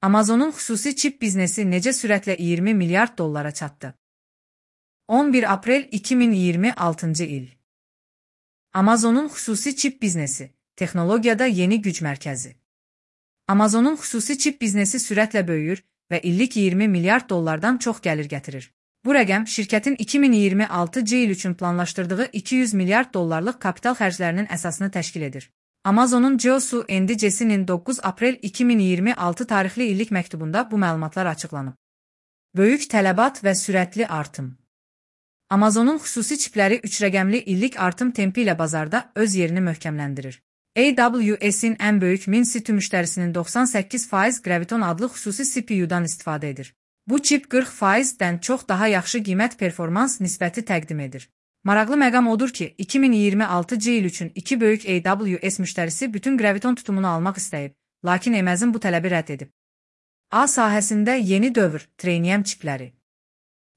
Amazonun xüsusi çip biznesi necə sürətlə 20 milyard dollara çatdı? 11 aprel 2026 il. Amazonun xüsusi çip biznesi, texnologiyada yeni güc mərkəzi. Amazonun xüsusi çip biznesi sürətlə böyüyür və illik 20 milyard dollardan çox gəlir gətirir. Bu rəqəm şirkətin 2026 il üçün planlaşdırdığı 200 milyard dollarlıq kapital xərclərinin əsasını təşkil edir. Amazonun CEO-su Andy Jasie'nin 9 aprel 2026 tarixli illik məktubunda bu məlumatlar açıqlanıb. Böyük tələbat və sürətli artım. Amazonun xüsusi çipləri 3 rəqəmli illik artım tempi ilə bazarda öz yerini möhkəmləndirir. AWS'in ən böyük 1000 CPU müştərisinin 98% Graviton adlı xüsusi CPU-dan istifadə edir. Bu çip 40%-dən çox daha yaxşı qiymət-performans nisbəti təqdim edir. Maraqlı məqam odur ki, 2026 il üçün iki böyük AWS müştərisi bütün Graviton tutumunu almaq istəyib, lakin Amazon bu tələbi rədd edib. A sahəsində yeni dövr, Trainium çipləri.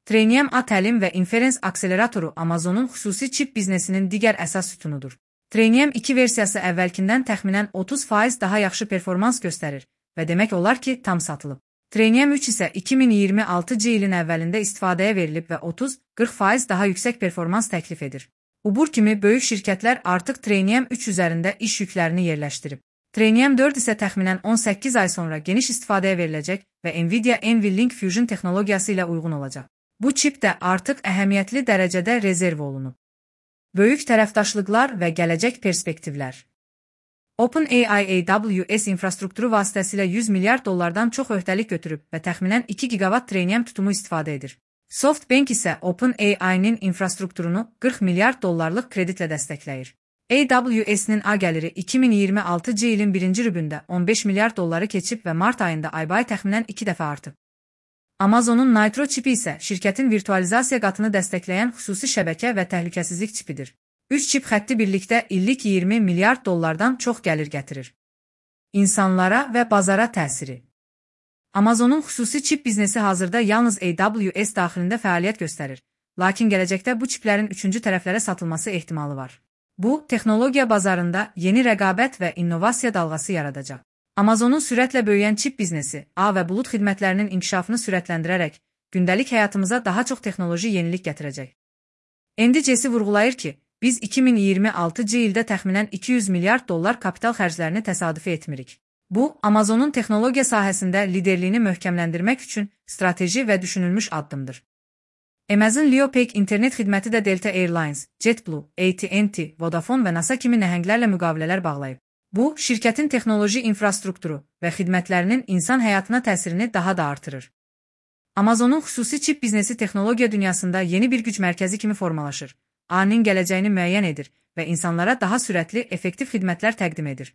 Trainium A təlim və inferens akseleratoru Amazonun xüsusi çip biznesinin digər əsas sütunudur. Trainium 2 versiyası əvvəlkindən təxminən 30% daha yaxşı performans göstərir və demək olar ki, tam satılıb. Trainium 3 isə 2026 ilin əvvəlində istifadəyə verilib və 30-40% daha yüksək performans təklif edir. Uber kimi böyük şirkətlər artıq Trainium 3 üzərində iş yüklərini yerləşdirib. Trainium 4 isə təxminən 18 ay sonra geniş istifadəyə veriləcək və Nvidia NVLink Fusion texnologiyası ilə uyğun olacaq. Bu çip də artıq əhəmiyyətli dərəcədə rezerv olunub. Böyük tərəfdaşlıqlar və gələcək perspektivlər. OpenAI AWS infrastrukturu vasitəsilə 100 milyard dollardan çox öhdəlik götürüb və təxminən 2 gigawatt Trainium tutumu istifadə edir. SoftBank isə OpenAI-nin infrastrukturunu 40 milyard dollarlıq kreditlə dəstəkləyir. AWS-nin A gəliri 2026 ilin birinci rübündə 15 milyard dolları keçib və mart ayında aybayı təxminən 2 dəfə artıb. Amazonun Nitro çipi isə şirkətin virtualizasiya qatını dəstəkləyən xüsusi şəbəkə və təhlükəsizlik çipidir. 3 çip xətti birlikdə illik 20 milyard dollardan çox gəlir gətirir. İnsanlara və bazara təsiri. Amazonun xüsusi çip biznesi hazırda yalnız AWS daxilində fəaliyyət göstərir, lakin gələcəkdə bu çiplərin üçüncü tərəflərə satılması ehtimalı var. Bu, texnologiya bazarında yeni rəqabət və innovasiya dalğası yaradacaq. Amazonun sürətlə böyüyən çip biznesi, ağ və bulud xidmətlərinin inkişafını sürətləndirərək, gündəlik həyatımıza daha çox texnoloji yenilik gətirəcək. Andy Jassy vurğulayır ki, biz 2026 ildə təxminən 200 milyard dollar kapital xərclərini təsadüfi etmirik. Bu, Amazonun texnologiya sahəsində liderliyini möhkəmləndirmək üçün strateji və düşünülmüş addımdır. Amazon LeoPay internet xidməti də Delta Airlines, JetBlue, AT&T, Vodafone və NASA kimi nəhənglərlə müqavilələr bağlayıb. Bu, şirkətin texnoloji infrastrukturu və xidmətlərinin insan həyatına təsirini daha da artırır. Amazonun xüsusi çip biznesi texnologiya dünyasında yeni bir güc mərkəzi kimi formalaşır. A-nin gələcəyini müəyyən edir və insanlara daha sürətli, effektiv xidmətlər təqdim edir.